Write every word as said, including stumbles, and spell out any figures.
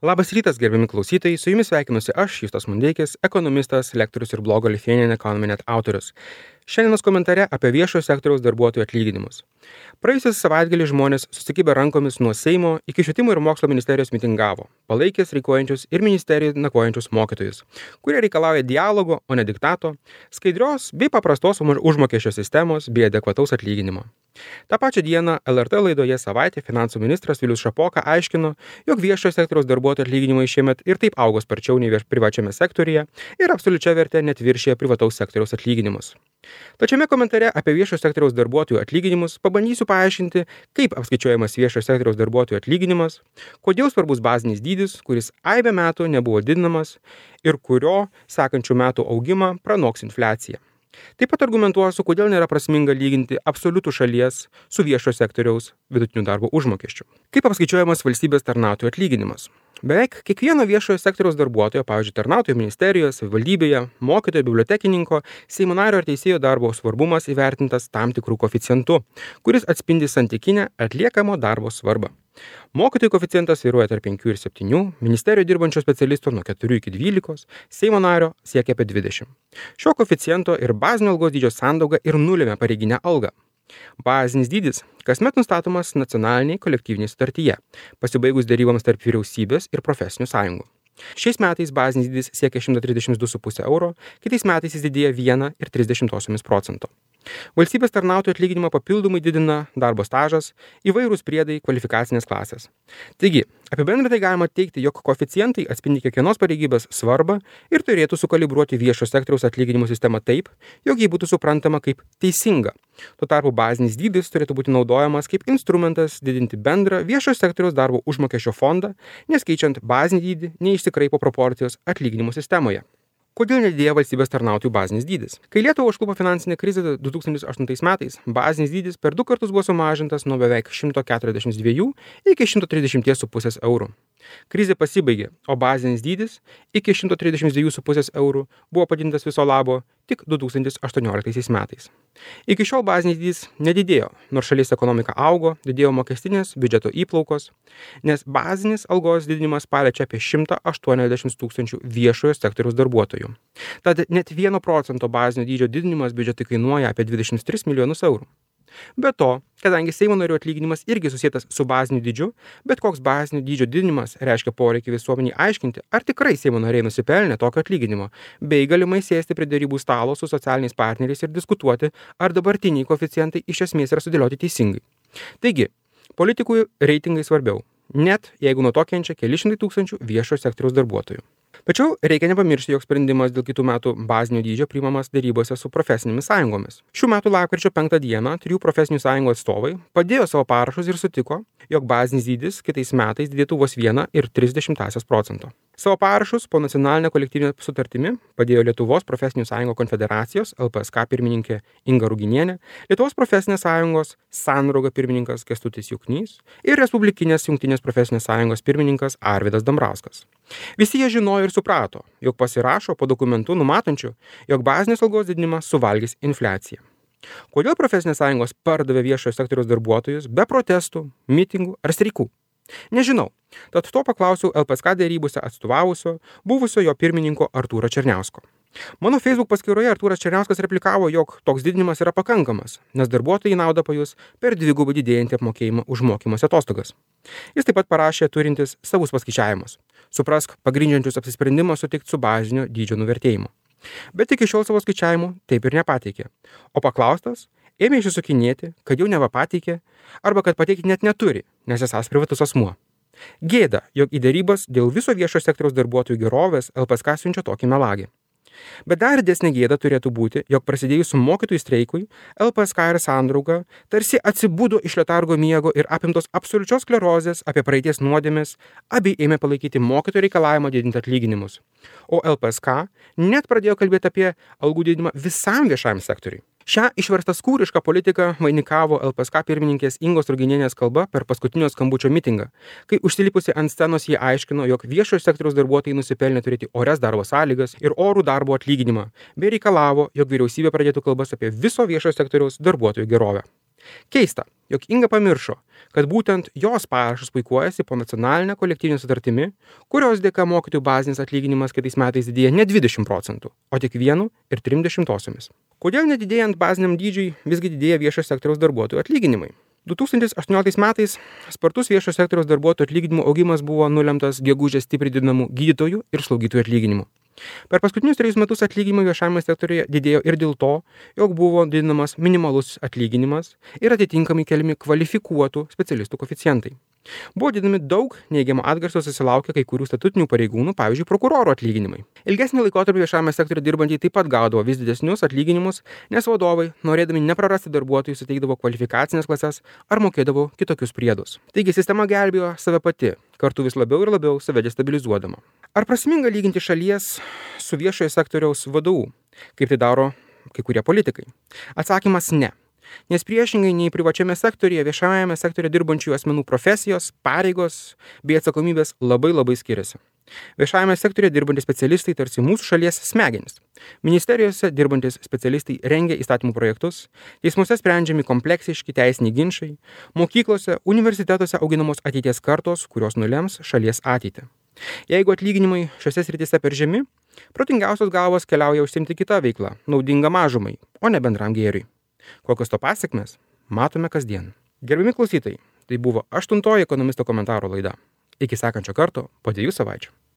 Labas rytas, gerbiami klausytojai, su jumis sveikinuosi aš, Justas Mundeikis, ekonomistas, lektorius ir blogo Lithuanian Economy Net autorius. Šiandienos komentare apie viešojo sektoriaus darbuotojų atlyginimus. Praėjusią savaitgalį žmonės susikibę rankomis nuo Seimo iki Švietimo ir Mokslo ministerijos mitingavo, palaikė streikuojančius ir ministerijoje nakvojančius mokytojus, kurie reikalauja dialogo, o ne diktato, skaidrios bei paprastos užmokesčio sistemos bei adekvataus atlyginimo. Ta pačią dieną L R T laidoje Savaitė finansų ministras Vilius Šapoka aiškino, jog viešojo sektoriaus darbuotojų atlyginimai šiemet ir taip augo sparčiau nei privačiame sektoriuje ir absoliučia verte net viršija privataus sektoriaus atlyginimus. Tačiame komentare apie viešojo sektoriaus darbuotojų atlyginimus pabandysiu paaiškinti, kaip apskaičiuojamas viešojo sektoriaus darbuotojų atlyginimas, kodėl svarbus bazinis dydis, kuris aibę metų nebuvo didinamas ir kurio sekančių metų augimą pranoks infliacija. Taip pat argumentuosiu, kodėl nėra prasminga lyginti absoliutų šalies su viešojo sektoriaus vidutiniu darbo užmokesčiu. Kaip apskaičiuojamas valstybės tarnautojų atlyginimas? Beveik kiekvieno viešojo sektoriaus darbuotojo, pavyzdžiui, tarnautojo ministerijoje, savivaldybėje, mokytojo, bibliotekininko, Seimo nario ar teisėjo darbo svarbumas įvertintas tam tikrų koeficientų, kuris atspindi santykinę atliekamo darbo svarbą. Mokytojų koeficientas svyruoja tarp penkių ir septynių, ministerijoje dirbančio specialisto nuo keturių iki dvylikos, Seimo nario siekia apie dvidešimt. Šio koeficiento ir bazinio algos dydžio sandauga ir nulėmė pareiginę algą. Bazinis dydis kasmet nustatomas nacionaliniai kolektyvinėje sutartyje, pasibaigus deryboms tarp vyriausybės ir profesinių sąjungų. Šiais metais bazinis dydis siekia šimtą trisdešimt du su puse euro, kitais metais jis didėja viena ir tris dešimtosiomis procento. Valstybės tarnautojų atlyginimą papildomai didina darbo stažas, įvairūs priedai, kvalifikacinės klasės. Taigi, apibendrintai galima teigti, jog koeficientai atspindi kiekvienos pareigybės svarbą ir turėtų sukalibruoti viešo sektoriaus atlyginimų sistemą taip, jog ji būtų suprantama kaip teisinga. Tuo tarpu bazinis dydis turėtų būti naudojamas kaip instrumentas didinti bendrą viešo sektoriaus darbo užmokesčio fondą, nes keičiant bazinį dydį neišsikraipo proporcijos atlyginimų sistemoje. Kodėl nedidėja valstybės tarnautojų bazinis dydis? Kai Lietuvą užklupo finansinė krizė du tūkstančiai aštuntais metais, bazinis dydis per du kartus buvo sumažintas nuo beveik šimto keturiasdešimt dviejų iki šimto trisdešimt su puse eurų. Krizė pasibaigė, o bazinis dydis iki šimto trisdešimt dviejų su puse eurų buvo padidintas viso labo tik du tūkstančiai aštuonioliktaisiais metais. Iki šiol bazinis dydis nedidėjo, nors šalies ekonomika augo, didėjo mokestinės biudžeto įplaukos, nes bazinis algos didinimas paliečia apie šimtą aštuoniasdešimt tūkstančių viešojo sektoriaus darbuotojų. Tad net vieno procento bazinio dydžio didinimas biudžetui kainuoja apie dvidešimt tris milijonus eurų. Be to, kadangi Seimo narių atlyginimas irgi susietas su baziniu dydžiu, bet koks bazinio dydžio didinimas reiškia poreikį visuomeniai aiškinti, ar tikrai Seimo nariai nusipelnė tokio atlyginimo, bei galimai sėsti prie derybų stalo su socialiniais partneriais ir diskutuoti, ar dabartiniai koeficientai iš esmės yra sudėlioti teisingai. Taigi, politikų reitingai svarbiau, net jeigu nuo to kenčia keli šimtai tūkstančių viešojo sektoriaus darbuotojų. Tačiau reikia nepamiršti, jog sprendimas dėl kitų metų bazinio dydžio priimamas derybose su profesinėmis sąjungomis. Šių metų lapkričio penktą dieną trijų profesinių sąjungų atstovai padėjo savo parašus ir sutiko, jog bazinis dydis kitais metais didėtų vos vieną ir tris dešimtąsias procento. Savo parašus po nacionalinę kolektyvinę sutartimi padėjo Lietuvos profesinių sąjungų konfederacijos L P S K pirmininkė Inga Ruginienė, Lietuvos profesinės sąjungos Sandrauga pirmininkas Kęstutis Juknys ir Respublikinės jungtinės profesinės sąjungos pirmininkas Arvydas Dambrauskas. Visi jie žinojo ir suprato, jog pasirašo po dokumentu numatančiu, jog bazinės algos didinimas suvalgys infliaciją. Kodėl profesinės sąjungos pardavė viešojo sektoriaus darbuotojus be protestų, mitingų ar streikų? Nežinau, tad to paklausiau L P S K derybose atstovavusio, buvusio jo pirmininko Artūro Černiausko. Mano Facebook paskyroje Artūras Černiauskas replikavo, jog toks didinimas yra pakankamas, nes darbuotojai naudą pajus per dvigubai didėjantį apmokėjimą už mokymosi atostogas. Jis taip pat parašė turintis savus paskaičiavimus. Suprask, pagrindžiančius apsisprendimą sutikti su bazinio dydžio nuvertėjimu. Bet iki šiol savo skaičiavimų taip ir nepateikė. O paklaustas, ėmė išsisukinėti, kad jau neva pateikė, arba kad pateikti net neturi, nes esąs privatus asmuo. Gėda, jog į derybas dėl viso viešo sektoriaus darbuotojų gerovės L P S K siunčia tokį melagį. Bet dar didesnė gėda turėtų būti, jog prasidėjus mokytojų streikui, L P S K ir Sandrauga tarsi atsibudo iš letargo miego ir apimtos absoliučios sklerozės apie praeities nuodėmes, abi ėmė palaikyti mokytojų reikalavimą didinti atlyginimus. O L P S K net pradėjo kalbėti apie algų didinimą visam viešajam sektoriui. Šią išverstą skūrišką politiką vainikavo L P S K pirmininkės Ingos Ruginienės kalba per paskutinio skambučio mitingą, kai užsilipusi ant scenos jie aiškino, jog viešojo sektoriaus darbuotojai nusipelnė turėti orias darbo sąlygas ir orų darbo atlyginimą, bei reikalavo, jog vyriausybė pradėtų kalbas apie viso viešojo sektoriaus darbuotojų gerovę. Keista, jog Inga pamiršo, kad būtent jos parašas puikuojasi po nacionalinę kolektyvinę sutartimi, kurios dėka mokytojų bazinis atlyginimas kitais metais didėja ne dvidešimt procentų, o tik vienu ir trim dešimtosiomis. Kodėl nedidėjant baziniam dydžiui visgi didėja viešo sektoriaus darbuotojų atlyginimai? du tūkstančiai aštuonioliktais metais spartus viešo sektoriaus darbuotojų atlyginimų augimas buvo nulemtas gegužės stipriai didinamų gydytojų ir slaugytojų atlyginimų. Per paskutinius trejus metus atlyginimai viešajame sektoriuje didėjo ir dėl to, jog buvo didinamas minimalus atlyginimas ir atitinkamai keliami kvalifikuotų specialistų koeficientai. Buvo didinami daug neigiamo atgarsio susilaukė kai kurių statutinių pareigūnų, pavyzdžiui, prokurorų atlyginimai. Ilgesnį laikotarpį viešajame sektoriuje dirbantieji taip pat gaudavo vis didesnius atlyginimus, nes vadovai, norėdami neprarasti darbuotojų, suteikdavo kvalifikacinės klases ar mokėdavo kitokius priedus. Taigi sistema gelbėjo save pati, kartu vis labiau ir labiau save destabilizuodama. Ar prasminga lyginti šalies su viešojo sektoriaus vadovu, kaip tai daro kai kurie politikai? Atsakymas ne. Nes priešingai nei privačiame sektoriuje, viešajame sektoriuje dirbančių asmenų profesijos, pareigos bei atsakomybės labai labai skiriasi. Viešajame sektoriuje dirbantys specialistai tarsi mūsų šalies smegenys. Ministerijose dirbantys specialistai rengia įstatymų projektus, teismuose sprendžiami kompleksiški teisiniai ginčai, mokyklose, universitetuose auginamos ateities kartos, kurios nulems šalies ateitį. Jeigu atlyginimai šiose srityse per žemi, protingiausios galvos keliauja užsiimti kitą veiklą, naudingą mažumai, o ne bendram gėriui. Kokios to pasekmės, matome kasdien. Gerbiami klausytojai, tai buvo aštuntoji ekonomisto komentaro laida. Iki sekančio karto po dviejų savaičių.